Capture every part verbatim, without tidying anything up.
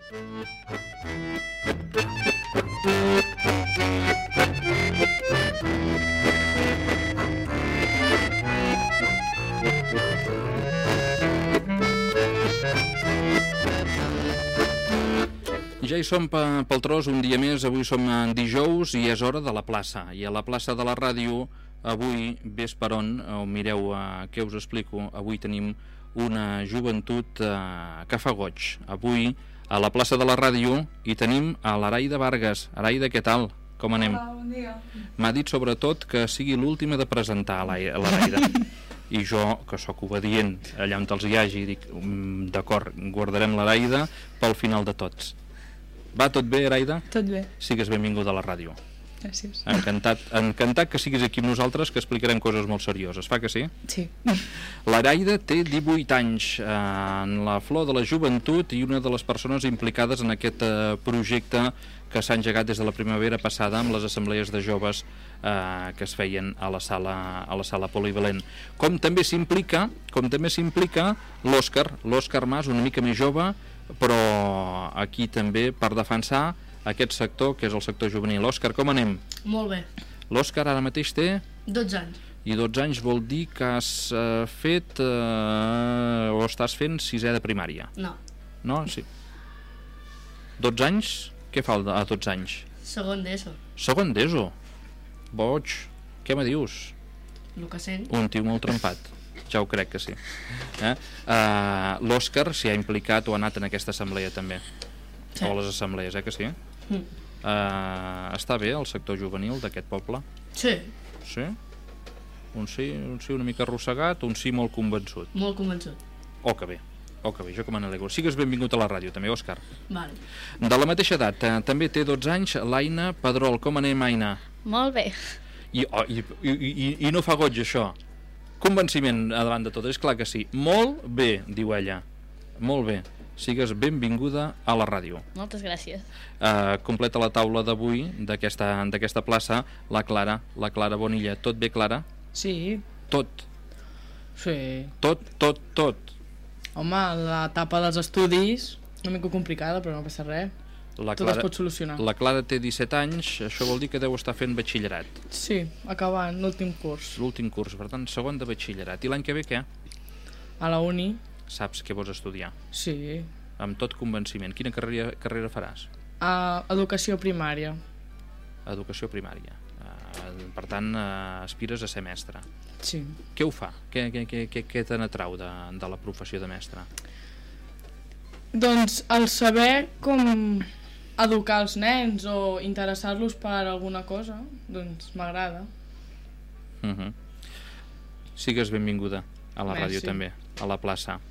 Ja hi som pel tros un dia més, avui som dijous i és hora de la plaça. I a la plaça de la ràdio, avui, ves per on, o mireu eh, què us explico, avui tenim una joventut eh, que fa goig. Avui, a la plaça de la ràdio, hi tenim a l'Araida Vargas. Araida, què tal? Com anem? Hola, bon dia. M'ha dit sobretot que sigui l'última de presentar a l'Araida. I jo, que sóc obedient, allà on els hi hagi, dic, d'acord, guardarem l'Araida pel final de tots. Va tot bé, Araida? Tot bé. Sigues benvinguda a la ràdio. Gràcies. Encantat, encantat que siguis aquí amb nosaltres, que explicarem coses molt serioses. Fa que sí? Sí. L'Araida té divuit anys, eh, en la flor de la joventut i una de les persones implicades en aquest eh, projecte que s'ha engegat des de la primavera passada amb les assemblees de joves eh, que es feien a la sala, a la sala polivalent. Com també s'implica, com també s'implica l'Òscar, l'Òscar Mas, una mica més jove, però aquí també per defensar aquest sector, que és el sector juvenil. Òscar, com anem? Molt bé. L'Òscar ara mateix té... dotze anys. I dotze anys vol dir que has eh, fet eh, o estàs fent sisè de primària. No. No? Sí. dotze anys? Què fa a dotze anys? Segon d'ESO. Segon d'ESO? Boig. Què me dius? El que sent. Un tio molt trempat. Ja ho crec que sí. Eh? Uh, L'Òscar s'hi ha implicat o ha anat en aquesta assemblea també. Sí. O a les assemblees, eh que sí? Mm. Uh, està bé el sector juvenil d'aquest poble? Sí. Sí? Un sí, un sí una mica arrossegat, un sí molt convençut. Molt convençut. Oh, que bé. Oh, que bé, jo que me n'alegro. Sigues benvingut a la ràdio també, Òscar. Vale. De la mateixa edat, eh, també té dotze anys, l'Aina Pedrol. Com anem, Aina? Molt bé. I, oh, i, i, i, I no fa goig, això. Convenciment a davant de tot, és clar que sí. Molt bé, diu ella. Molt bé. Sigues benvinguda a la ràdio. Moltes gràcies. Uh, completa la taula d'avui d'aquesta d'aquesta plaça la Clara, la Clara Bonilla. Tot bé, Clara? Sí. Tot. Sí. Tot, tot, tot. Home, l'etapa dels estudis, una mica complicada, però no passa res. La Tot Clara, es pot solucionar. La Clara té disset anys, això vol dir que deu estar fent batxillerat. Sí, acabant l'últim curs. L'últim curs, per tant, segon de batxillerat. I l'any que ve què? A la uni. Saps què vols estudiar? Sí. Amb tot convenciment. Quina carrera, carrera faràs? A educació primària. Educació primària. Uh, per tant, uh, aspires a ser mestre. Sí. Què ho fa? Què, què, què, què, què te n'atrau de, de la professió de mestre? Doncs el saber com educar els nens o interessar-los per alguna cosa, doncs m'agrada. Uh -huh. Sigues benvinguda a la Merci. ràdio també, a la plaça.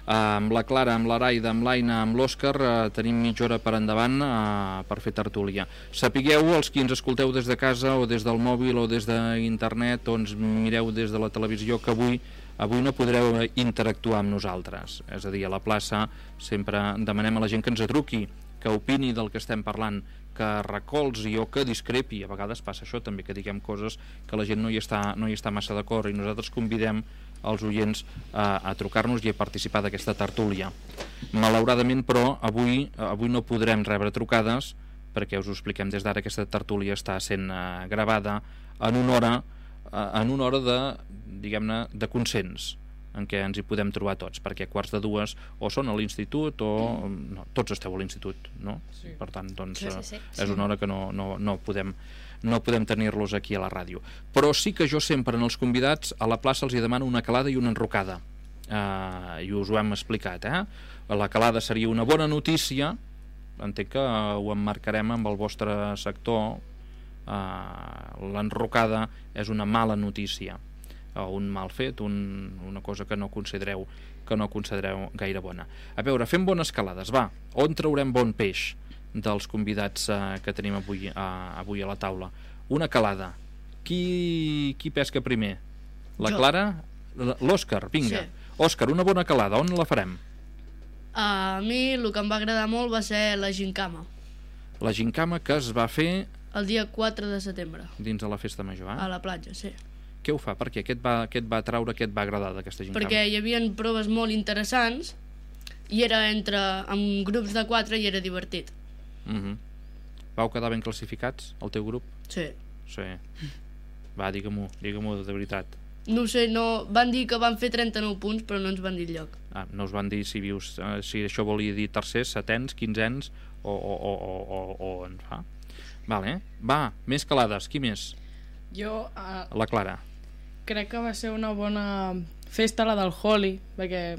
Uh, amb la Clara, amb l'Araida, amb l'Aina, amb l'Òscar, uh, tenim mitja hora per endavant uh, per fer tertúlia. Sapigueu, els qui ens escolteu des de casa o des del mòbil o des d'internet o ens mireu des de la televisió, que avui avui no podreu interactuar amb nosaltres. És a dir, a la plaça sempre demanem a la gent que ens truqui, que opini del que estem parlant, que recolzi o que discrepi. A vegades passa això també, que diguem coses que la gent no hi està, no hi està massa d'acord, i nosaltres convidem els oients a, a trucar-nos i a participar d'aquesta tertúlia. Malauradament, però, avui, avui no podrem rebre trucades, perquè us ho expliquem des d'ara, aquesta tertúlia està sent uh, gravada en una hora, uh, en una hora de, diguem-ne, de consens, en què ens hi podem trobar tots, perquè a quarts de dues o són a l'institut o... No, tots esteu a l'institut, no? Sí. Per tant, doncs, sí, sí, sí. Uh, és una hora que no, no, no podem... no podem tenir-los aquí a la ràdio. Però sí que jo sempre en els convidats a la plaça els hi demano una calada i una enrocada. Uh, I us ho hem explicat, eh? La calada seria una bona notícia, entenc que ho emmarcarem amb el vostre sector. Uh, l'enrocada és una mala notícia, o un mal fet, un, una cosa que no considereu que no considereu gaire bona. A veure, fem bones calades, va. On traurem bon peix dels convidats eh, que tenim avui, a, avui a la taula? Una calada. Qui, qui pesca primer? La Jo. Clara? L'Òscar, vinga. Sí. Òscar, una bona calada, on la farem? A mi el que em va agradar molt va ser la gincama. La gincama que es va fer El dia quatre de setembre. dins de la festa major, eh? A la platja, sí. Què ho fa? Per què? Què et va, què et va atraure, què et va agradar d'aquesta gincama? Perquè hi havia proves molt interessants i era entre, amb grups de quatre i era divertit. Uh-huh. Vau quedar ben classificats, el teu grup? Sí. Sí. Va, digue-m'ho, digue-m'ho de veritat. No ho sé, no, van dir que van fer trenta-nou punts, però no ens van dir el lloc. Ah, no us van dir si vius, eh, si això volia dir tercers, setens, quinzens o, o, o, o, o, o en fa. Vale. Va, més calades, qui més? Jo uh, La Clara. crec que va ser una bona festa la del Holi, perquè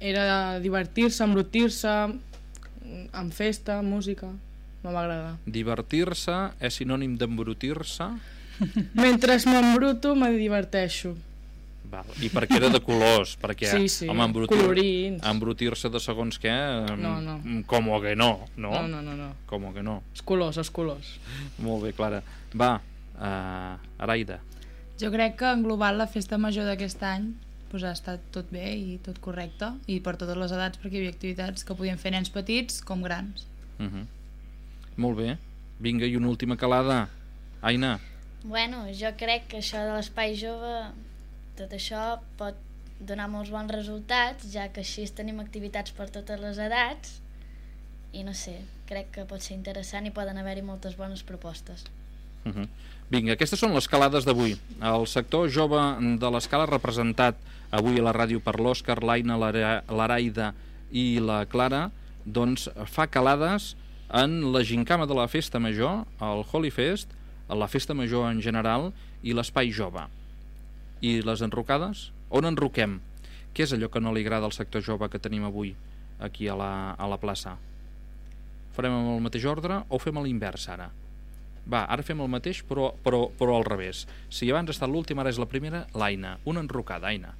era divertir-se, embrutir-se, amb festa, música, no m'agrada. Divertir-se és sinònim d'embrutir-se? Mentre m'embruto, me diverteixo. Val. I perquè era de colors, perquè Sí, sí, home, embrutir, colorins. embrutir-se de segons què, No, no. com que no, no? No, no, no, no. Com que no. Els colors, els colors. Molt bé, Clara. Va, uh, Araida. Jo crec que en global la festa major d'aquest any pues, ha estat tot bé i tot correcte, i per totes les edats, perquè hi havia activitats que podien fer nens petits com grans. Uh -huh. Molt bé. Vinga, i una última calada. Aina. Bueno, jo crec que això de l'espai jove, tot això pot donar molts bons resultats, ja que així tenim activitats per totes les edats, i no sé, crec que pot ser interessant i poden haver-hi moltes bones propostes. Uh -huh. Vinga, aquestes són les calades d'avui. El sector jove de l'escala representat avui a la ràdio per l'Òscar, l'Aina, l'Araida i la Clara, doncs fa calades en la gincama de la festa major, el Holy Fest, la festa major en general i l'espai jove. I les enrocades? On enroquem? Què és allò que no li agrada al sector jove que tenim avui aquí a la, a la plaça? Farem amb el mateix ordre o fem a l'invers ara? Va, ara fem el mateix però, però, però al revés. Si abans ha estat l'última, ara és la primera, l'Aina. Una enrocada, Aina.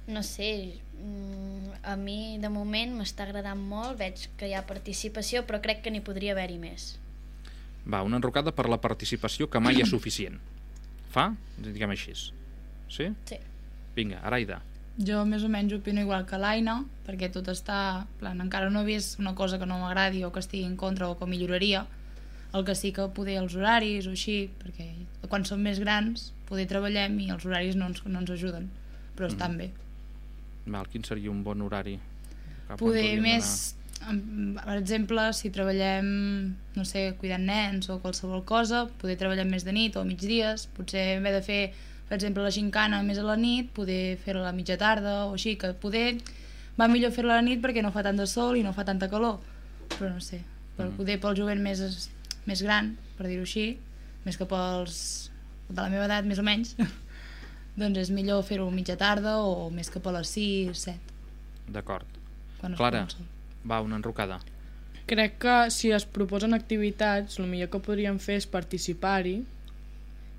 No sé, a mi de moment m'està agradant molt, veig que hi ha participació, però crec que n'hi podria haver-hi més. Va, una enrocada per la participació que mai és suficient. Fa? Diguem així. Sí? Sí. Vinga, Araida. Jo més o menys opino igual que l'Aina, perquè tot està... Plan, encara no he vist una cosa que no m'agradi o que estigui en contra o que milloraria. El que sí que poder els horaris o així, perquè quan som més grans poder treballem i els horaris no ens, no ens ajuden, però estan mm. bé. Val, quin seria un bon horari? Cap Poder més... Per exemple, si treballem, no sé, cuidant nens o qualsevol cosa, poder treballar més de nit o migdies, potser en vez de fer, per exemple, la gincana més a la nit, poder fer-la a la mitja tarda o així, que poder va millor fer-la a la nit perquè no fa tant de sol i no fa tanta calor, però no sé, per mm. poder pel jovent més, més gran, per dir-ho així, més que pels de la meva edat, més o menys, doncs és millor fer-ho a mitja tarda o més cap a les sis, set. D'acord. Quan es Clara, pot el sol. va, una enrocada. Crec que si es proposen activitats, el millor que podríem fer és participar-hi,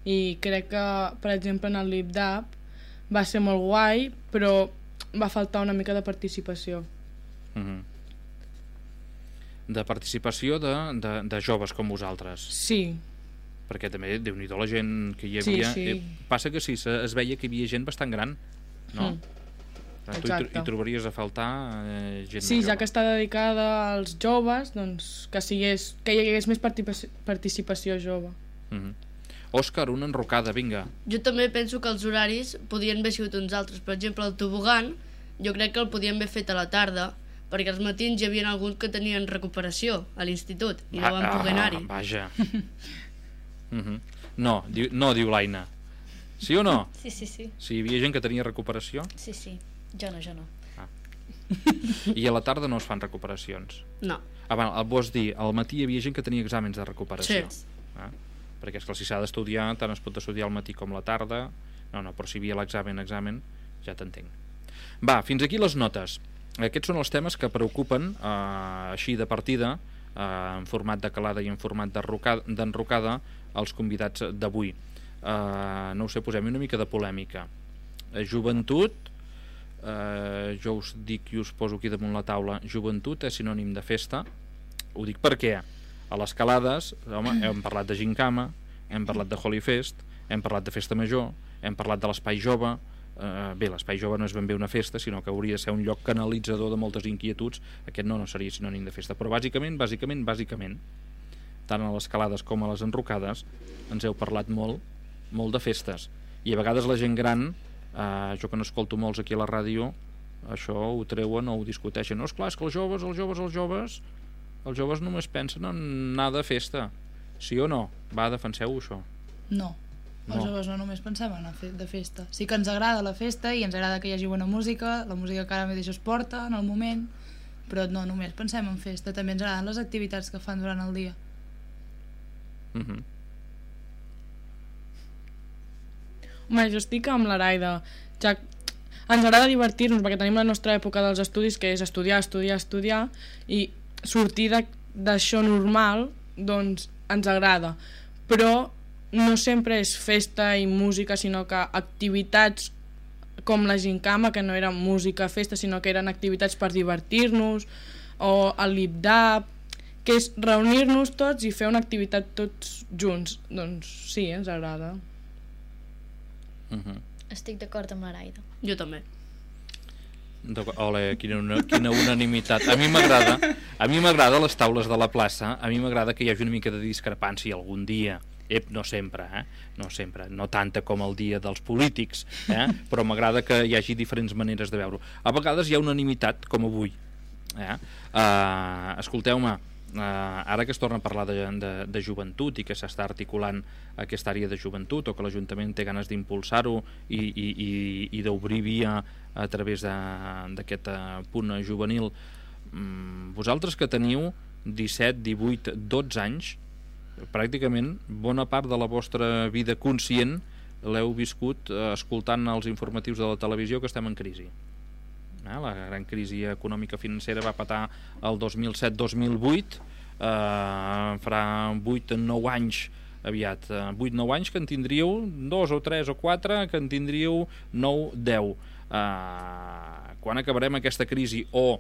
i crec que, per exemple, en el LibDAP va ser molt guai, però va faltar una mica de participació. Uh-huh. De participació de, de, de joves com vosaltres. Sí. Perquè també, Déu-n'hi-do, la gent que hi havia... Sí, sí. Eh, passa que sí, es veia que hi havia gent bastant gran, no? Mm. Tu hi, hi trobaries a faltar eh, gent Sí, jove. ja que està dedicada als joves, doncs que, sigués, que hi hagués més participació, participació jove. Uh-huh. Òscar, una enrocada, vinga. Jo també penso que els horaris podien haver sigut uns altres. Per exemple, el tobogan, jo crec que el podien haver fet a la tarda, perquè als matins hi havia alguns que tenien recuperació a l'institut i no van poder anar-hi. Ah, vaja. uh-huh. No, diu, no, diu l'Aina. Sí o no? Sí, sí, sí. Si hi havia gent que tenia recuperació? Sí, sí. Jo no, jo no. Ah. I a la tarda no es fan recuperacions? No. Ah, bueno, vols dir, al matí hi havia gent que tenia exàmens de recuperació? Sí. Ah? Perquè és que si s'ha d'estudiar, tant es pot estudiar al matí com a la tarda. No, no, però si hi havia l'examen, examen, ja t'entenc. Va, fins aquí les notes. Aquests són els temes que preocupen, eh, així de partida, eh, en format de calada i en format d'enrocada, els convidats d'avui. Eh, no ho sé, posem una mica de polèmica. Eh, joventut, eh, jo us dic i us poso aquí damunt la taula, joventut és sinònim de festa. Ho dic perquè a les calades, home, hem parlat de gincama, hem parlat de Holy Fest, hem parlat de festa major, hem parlat de l'espai jove. Uh, bé, l'espai jove no és ben bé una festa, sinó que hauria de ser un lloc canalitzador de moltes inquietuds. Aquest no, no seria sinònim de festa, però bàsicament, bàsicament, bàsicament, tant a les calades com a les enrocades ens heu parlat molt, molt de festes, i a vegades la gent gran, uh, jo que no escolto molts aquí a la ràdio, això ho treuen o ho discuteixen. No, esclar, és que els joves, els joves, els joves els joves només pensen en anar de festa, sí o no? Va, defenseu això. No, els No. joves no només pensem en anar de festa. Sí que ens agrada la festa i ens agrada que hi hagi bona música, la música que ara mateix es porta en el moment, però no només pensem en festa, també ens agraden les activitats que fan durant el dia. Mhm. Home, jo estic amb l'Araida. Ja ens agrada divertir-nos perquè tenim la nostra època dels estudis, que és estudiar, estudiar, estudiar, i sortir de- d'això normal, doncs ens agrada. Però no sempre és festa i música, sinó que activitats com la gincama, que no era música, festa, sinó que eren activitats per divertir-nos, o el lip-dab, que és reunir-nos tots i fer una activitat tots junts. Doncs sí, ens agrada. Mhm. Estic d'acord amb l'Araida. Jo també. D'acord. Ole, quina, una, quina unanimitat. A mi m'agrada, a mi m'agrada les taules de la plaça, a mi m'agrada que hi hagi una mica de discrepància algun dia. Ep, no sempre, eh? No sempre, no tanta com el dia dels polítics, eh? Però m'agrada que hi hagi diferents maneres de veure-ho. A vegades hi ha unanimitat, com avui. Eh? Uh, escolteu-me, uh, ara que es torna a parlar de, de, de joventut i que s'està articulant aquesta àrea de joventut, o que l'Ajuntament té ganes d'impulsar-ho i, i, i, i d'obrir via a través d'aquest uh, punt juvenil, um, vosaltres que teniu disset, divuit, dotze anys, pràcticament bona part de la vostra vida conscient l'heu viscut eh, escoltant els informatius de la televisió que estem en crisi. Eh, la gran crisi econòmica financera va patar el dos mil set dos mil vuit, eh, farà vuit nou anys aviat, eh, vuit nou anys que en tindríeu dos o tres o quatre, que en tindríeu nou deu. Eh, quan acabarem aquesta crisi, o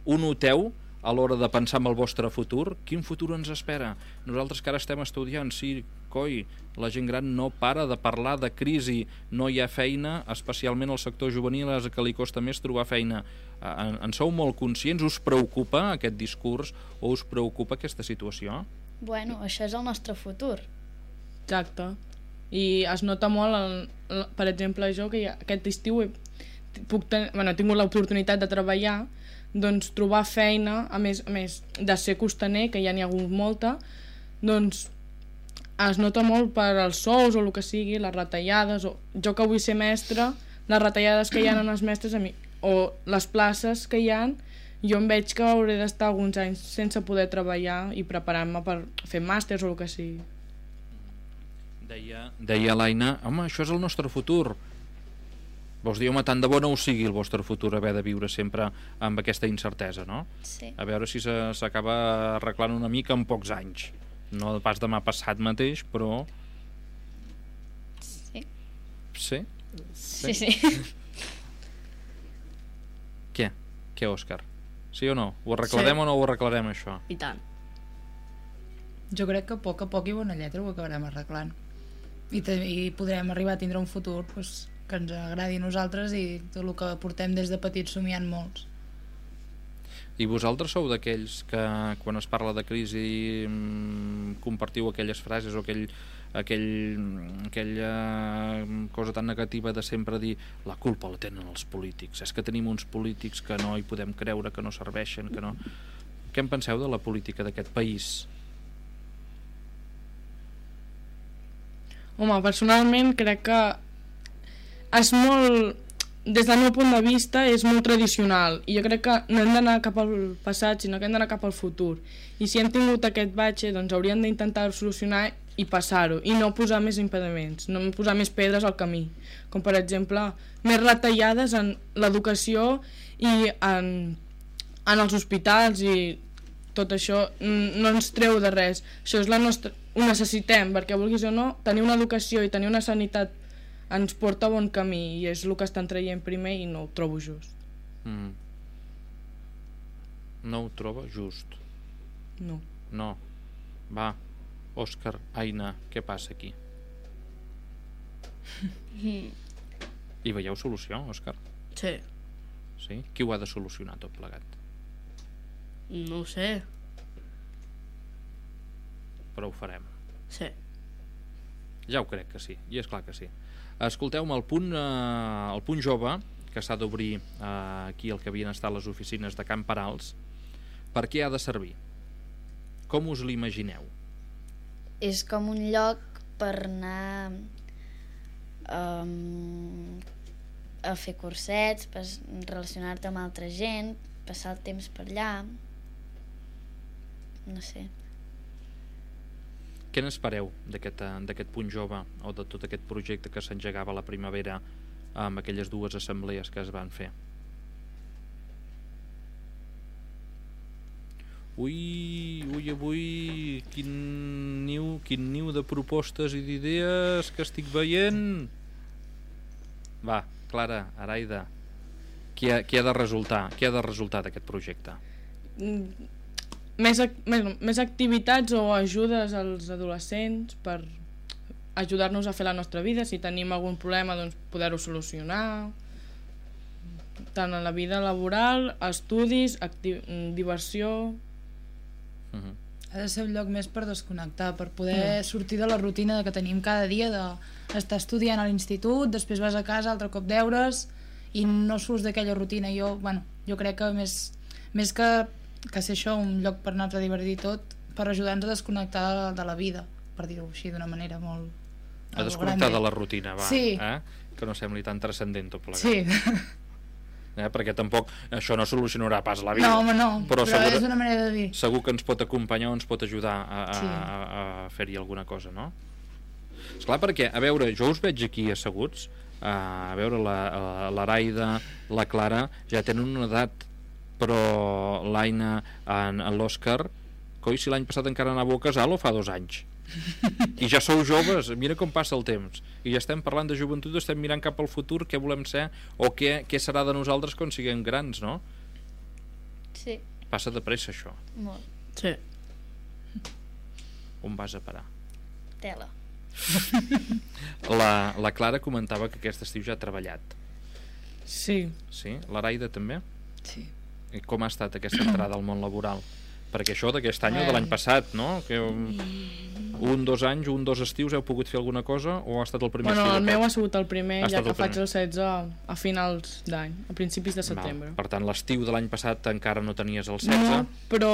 ho noteu a l'hora de pensar en el vostre futur? Quin futur ens espera? Nosaltres que ara estem estudiant, sí, coi, la gent gran no para de parlar de crisi, no hi ha feina, especialment al sector juvenil, és que li costa més trobar feina. En, en sou molt conscients? Us preocupa aquest discurs o us preocupa aquesta situació? Bueno, això és el nostre futur. Exacte. I es nota molt, el, el, per exemple, jo que ja, aquest estiu he, puc ten, bueno, he tingut l'oportunitat de treballar, doncs trobar feina, a més, a més de ser costaner, que ja n'hi ha hagut molta, doncs es nota molt per als sous o el que sigui, les retallades, o jo que vull ser mestre, les retallades que hi ha en els mestres a mi, o les places que hi ha, jo em veig que hauré d'estar alguns anys sense poder treballar i preparant-me per fer màsters o el que sigui. Deia, deia l'Aina, home, això és el nostre futur. Vols dir, home, tant de bo no ho sigui el vostre futur, haver de viure sempre amb aquesta incertesa, no? Sí. A veure si s'acaba arreglant una mica en pocs anys. No pas demà passat mateix, però... Sí. Sí? Sí, sí. Què? Què, Òscar? Sí o no? Ho arreglarem Sí. o no ho arreglarem, això? I tant. Jo crec que a poc a poc i bona lletra ho acabarem arreglant. I, i podrem arribar a tindre un futur pues, que ens agradi a nosaltres i tot el que portem des de petits somiant molts. I vosaltres sou d'aquells que quan es parla de crisi mmm, compartiu aquelles frases o aquell, aquell, aquella cosa tan negativa de sempre dir la culpa la tenen els polítics, és que tenim uns polítics que no hi podem creure, que no serveixen, que no... Què en penseu de la política d'aquest país? Home, personalment crec que és molt... Des del meu punt de vista és molt tradicional i jo crec que no hem d'anar cap al passat sinó que hem d'anar cap al futur i si hem tingut aquest batxe doncs hauríem d'intentar solucionar i passar-ho i no posar més impediments, no posar més pedres al camí, com per exemple més retallades en l'educació i en, en els hospitals i tot això no ens treu de res, això és la nostra... ho necessitem perquè vulguis o no tenir una educació i tenir una sanitat ens porta a bon camí i és el que estan traient primer i no ho trobo just. Mm. No ho troba just? No. No. Va, Òscar, Aina, què passa aquí? Hi veieu solució, Òscar? Sí. Sí? Qui ho ha de solucionar tot plegat? No ho sé. Però ho farem. Sí. Ja ho crec que sí, i és clar que sí. Escolteu-me, el punt, eh, el punt jove, que s'ha d'obrir eh, aquí el que havien estat les oficines de Can Parals, per què ha de servir? Com us l'imagineu? És com un lloc per anar um, a fer cursets, per relacionar-te amb altra gent, passar el temps per allà, no sé. Què n'espereu d'aquest d'aquest Punt Jove o de tot aquest projecte que s'engegava a la primavera amb aquelles dues assemblees que es van fer? Ui, ui, avui, quin niu, quin niu de propostes i d'idees que estic veient. Va, Clara, Araida, què ha, què ha de resultar? Què ha de resultar d'aquest projecte? Mm, més, ac més, més activitats o ajudes als adolescents per ajudar-nos a fer la nostra vida. Si tenim algun problema, doncs poder-ho solucionar, tant en la vida laboral, estudis, diversió. Uh-huh. Ha de ser un lloc més per desconnectar, per poder mm. sortir de la rutina que tenim cada dia, d'estar estudiant a l'institut, després vas a casa, altre cop deures, i no surts d'aquella rutina. Jo, bueno, jo crec que més, més que, que ser això un lloc per anar-te a divertir tot, per ajudar-nos a desconnectar de, de la vida, per dir-ho així d'una manera molt... A desconnectar de la rutina, va. Sí. Eh? Que no sembli tan transcendent tot plegat. Sí. Eh? Perquè tampoc això no solucionarà pas la vida. No, home, no, però, però segur, és una manera de dir. Segur que ens pot acompanyar o ens pot ajudar a, a, Sí. a, a fer-hi alguna cosa, no? Esclar, perquè, a veure, jo us veig aquí asseguts, a veure, la, l'Araida, la Clara, ja tenen una edat, però l'Aina, en, en l'Òscar, coi, si l'any passat encara anava a casal o fa dos anys? I ja sou joves, mira com passa el temps, i ja estem parlant de joventut, estem mirant cap al futur, què volem ser o què, què serà de nosaltres quan siguem grans, no? Sí, Passa de pressa això. molt. Sí. On vas a parar? Tela. La, la Clara comentava que aquest estiu ja ha treballat. Sí. Sí? L'Araida també? Sí. I com ha estat aquesta entrada al món laboral? Perquè això d'aquest any o de l'any passat, no? Que un, dos anys, un, dos estius heu pogut fer alguna cosa o ha estat el primer Bueno, estiu? el meu ha sigut el primer, Ha ja estat que el faig primer. el setze a finals d'any, a principis de setembre. Val. Per tant, l'estiu de l'any passat encara no tenies el setze? No, però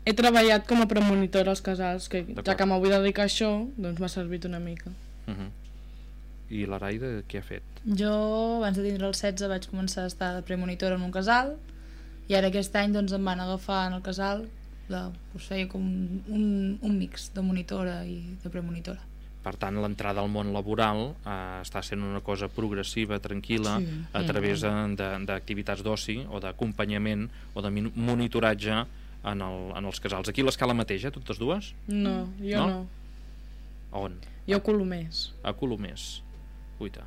he treballat com a premonitora als casals, que ja que m'ho vull dedicar a això, doncs m'ha servit una mica. Uh -huh. I l'Araida què ha fet? Jo, abans de tindre el setze, vaig començar a estar de premonitora en un casal, i ara aquest any doncs, em van agafar en el casal, de, us feia com un, un mix de monitora i de premonitora. Per tant, l'entrada al món laboral eh, està sent una cosa progressiva, tranquil·la, Sí. a través d'activitats d'oci o d'acompanyament o de monitoratge en, el, en els casals. Aquí a l'escala mateixa, totes dues? No, jo No? no. A on? Jo a Colomers. A Colomers. Uita.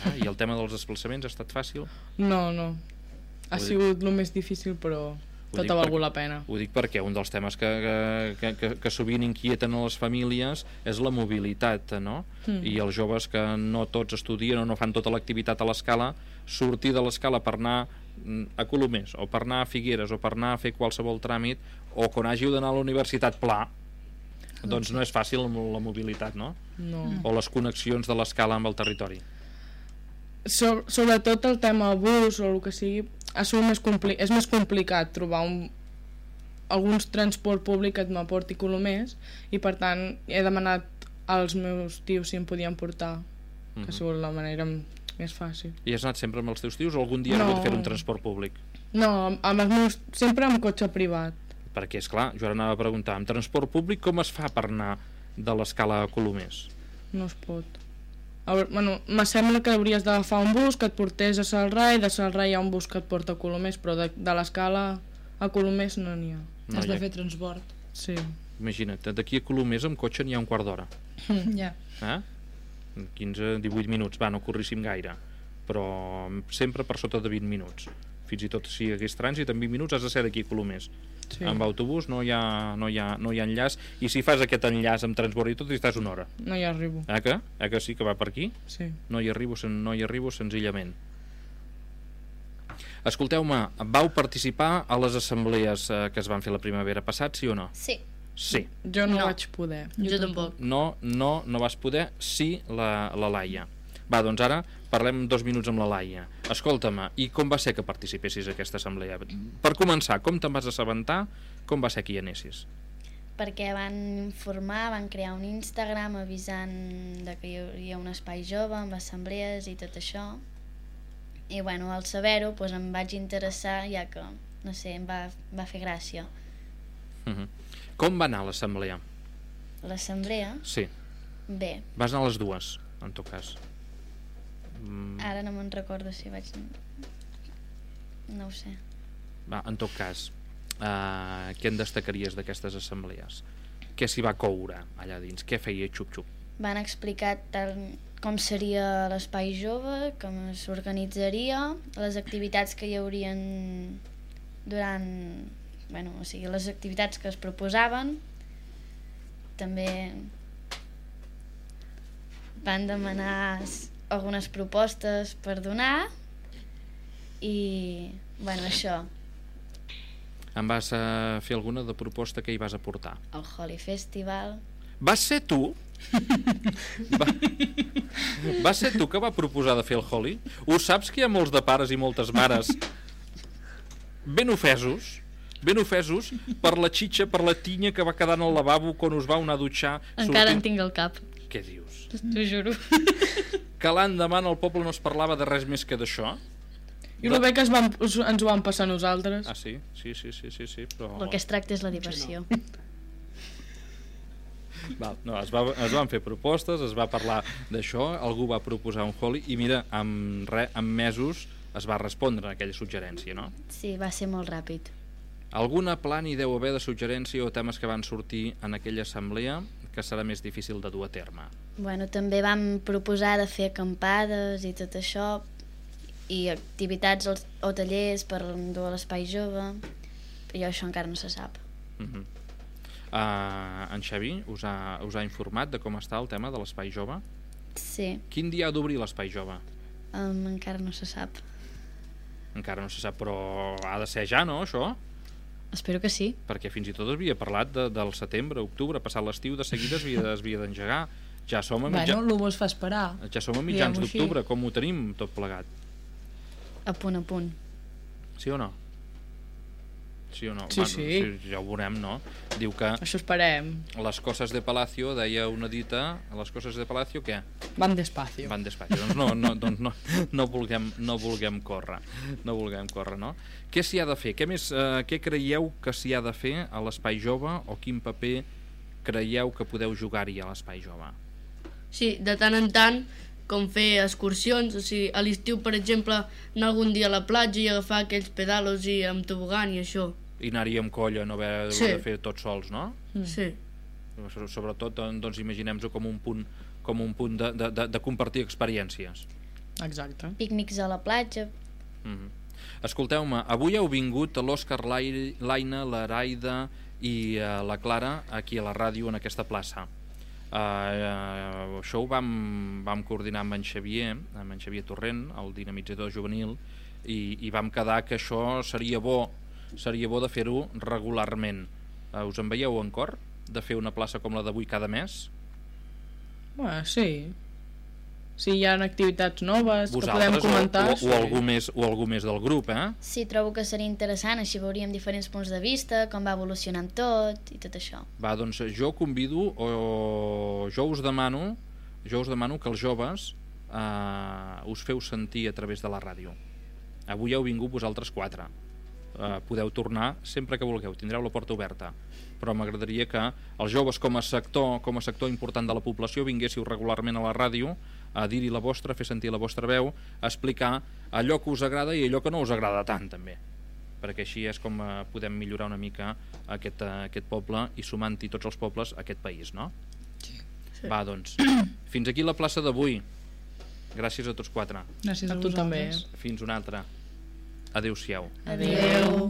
Ah, I el tema dels desplaçaments ha estat fàcil? No, no. Ha Ho dic- sigut el més difícil, però Ho tot dic ha valgut perquè- la pena. Ho dic perquè un dels temes que, que, que, que sovint inquieten a les famílies és la mobilitat, no? Mm. I els joves que no tots estudien o no fan tota l'activitat a l'escala, sortir de l'escala per anar mm, a Colomers o per anar a Figueres o per anar a fer qualsevol tràmit o quan hàgiu d'anar a la universitat pla, doncs no és fàcil la mobilitat, no? No. O les connexions de l'escala amb el territori. So, sobretot el tema bus o el que sigui, ha sigut més compli és més complicat trobar un, alguns transport públic que m'aporti Colomers, i per tant he demanat als meus tios si em podien portar, que ha sigut la manera més fàcil. I has anat sempre amb els teus tios o algun dia has No. hagut de fer un transport públic? No, amb, amb els meus, sempre amb cotxe privat. Perquè, és clar, jo ara anava a preguntar, amb transport públic com es fa per anar de l'escala a Colomers? No es pot. A veure, bueno, me sembla que hauries d'agafar un bus que et portés a Salrà, i de Salrà hi ha un bus que et porta a Colomers, però de, de l'escala a Colomers no n'hi ha. No Has hi ha. de fer transport. Sí. Imagina't, d'aquí a Colomers amb cotxe n'hi ha un quart d'hora. Ja. Eh? quinze a divuit minuts, va, no corríssim gaire, però sempre per sota de vint minuts. Fins i tot si hi hagués trànsit, en vint minuts has de ser d'aquí a Colomers. Sí. Amb autobús no hi, ha, no, hi ha, no hi ha enllaç, i si fas aquest enllaç amb transport i tot, hi estàs una hora. No hi arribo. Eh que? Eh que sí que va per aquí? Sí. No hi arribo, sen- no hi arribo senzillament. Escolteu-me, vau participar a les assemblees eh, que es van fer la primavera passat, sí o no? Sí. Sí. Jo no, No. vaig poder. Jo tampoc. No, no, no vas poder, sí la, la Laia. Va, doncs ara parlem dos minuts amb la Laia. Escolta'm, i com va ser que participessis a aquesta assemblea? Per començar, com te'n vas assabentar? Com va ser que hi anessis? Perquè van informar, van crear un Instagram avisant de que hi hauria un espai jove amb assemblees i tot això. I bueno, al saber-ho doncs em vaig interessar, ja que, no sé, em va, va fer gràcia. Uh-huh. Com va anar l'assemblea? L'assemblea? Sí. Bé. Vas anar a les dues, en tot cas. Mm. Ara no me'n recordo si vaig... No ho sé. Va, en tot cas, uh, què en destacaries d'aquestes assemblees? Què s'hi va coure allà dins? Què feia xup-xup? Van explicar tal com seria l'espai jove, com s'organitzaria, les activitats que hi haurien durant... Bueno, o sigui, les activitats que es proposaven. També van demanar algunes propostes per donar i, bueno, això. Em vas uh, fer alguna de proposta que hi vas aportar? El Holi Festival. Vas ser tu? va, va ser tu que va proposar de fer el Holi? Ho saps que hi ha molts de pares i moltes mares ben ofesos ben ofesos per la xitxa, per la tinya que va quedar en el lavabo quan us vau anar a dutxar. Encara sortint... en tinc al cap. Què dius? T'ho juro. Que l'endemà al poble no es parlava de res més que d'això? I el bé que es van, ens ho van passar nosaltres. Ah, sí? Sí, sí, sí, sí, sí però... El que es tracta és la diversió. No. Val, no, es, va, es van fer propostes, es va parlar d'això, algú va proposar un Holi i mira, en, re, en mesos es va respondre a aquella suggerència, no? Sí, va ser molt ràpid. Alguna plan hi deu haver de suggerència o temes que van sortir en aquella assemblea que serà més difícil de dur a terme? Bueno, també vam proposar de fer acampades i tot això, i activitats o tallers per dur a l'espai jove, però això encara no se sap. Uh-huh. uh, en Xavi us ha, us ha informat de com està el tema de l'espai jove? Sí. Quin dia ha d'obrir l'espai jove? Um, encara no se sap. Encara no se sap, però ha de ser ja, no, això? Espero que sí. Perquè fins i tot es havia parlat de, del setembre, octubre, passat l'estiu, de seguida es havia d'engegar. Ja som a mitja... Bueno, l'ho vols fa esperar. Ja som a mitjans d'octubre, com ho tenim tot plegat? A punt a punt. Sí o no? Sí o no? Sí, bueno, sí. sí. Ja ho veurem, no? Diu que... Això esperem. Les coses de Palacio, deia una dita, les coses de Palacio, què? Van despacio. Van despacio. Doncs no, no, doncs no, no, vulguem, no vulguem córrer. No vulguem córrer, no? Què s'hi ha de fer? Què, més, eh, què creieu que s'hi ha de fer a l'espai jove o quin paper creieu que podeu jugar-hi a l'espai jove? Sí, de tant en tant, com fer excursions, o sigui, a l'estiu, per exemple, anar algun dia a la platja i agafar aquells pedalos i amb tobogan i això. I anar-hi amb colla, no haver sí. de fer tots sols, no? Mm. Sí. Sobretot, doncs, imaginem-ho com un punt, com un punt de, de, de compartir experiències. Exacte. Pícnics a la platja. Mm-hmm. Escolteu-me, avui heu vingut l'Òscar, l'Aina, l'Araida i uh, la Clara aquí a la ràdio en aquesta plaça. Uh, uh, això ho vam, vam coordinar amb en Xavier, amb en Xavier Torrent, el dinamitzador juvenil, i, i vam quedar que això seria bo, seria bo de fer-ho regularment. Uh, us en veieu en cor de fer una plaça com la d'avui cada mes? Bueno, sí. Si hi ha activitats noves Vosaltres, que podem comentar... O, o, o, algú més, o algú més del grup, eh? Sí, trobo que seria interessant, així veuríem diferents punts de vista, com va evolucionant tot i tot això. Va, doncs jo convido, o jo us demano, jo us demano que els joves eh, us feu sentir a través de la ràdio. Avui heu vingut vosaltres quatre. Eh, podeu tornar sempre que vulgueu, tindreu la porta oberta. Però m'agradaria que els joves com a sector, com a sector important de la població vinguéssiu regularment a la ràdio a dir-hi la vostra, a fer sentir la vostra veu, a explicar allò que us agrada i allò que no us agrada tant, també. Perquè així és com eh, podem millorar una mica aquest, eh, aquest poble i sumant-hi tots els pobles a aquest país, no? Sí. Va, doncs, fins aquí la plaça d'avui. Gràcies a tots quatre. Gràcies a, a tu també. Fins una altra. Adéu-siau. Adéu.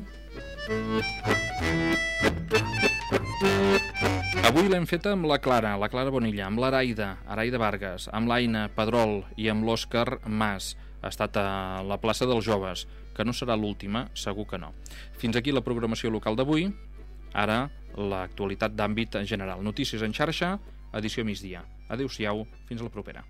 Avui l'hem feta amb la Clara, la Clara Bonilla, amb l'Araida, Araida Vargas, amb l'Aina Pedrol i amb l'Òscar Mas. Ha estat a la plaça dels joves, que no serà l'última, segur que no. Fins aquí la programació local d'avui. Ara, l'actualitat d'àmbit general. Notícies en xarxa, edició migdia. Adéu-siau, fins a la propera.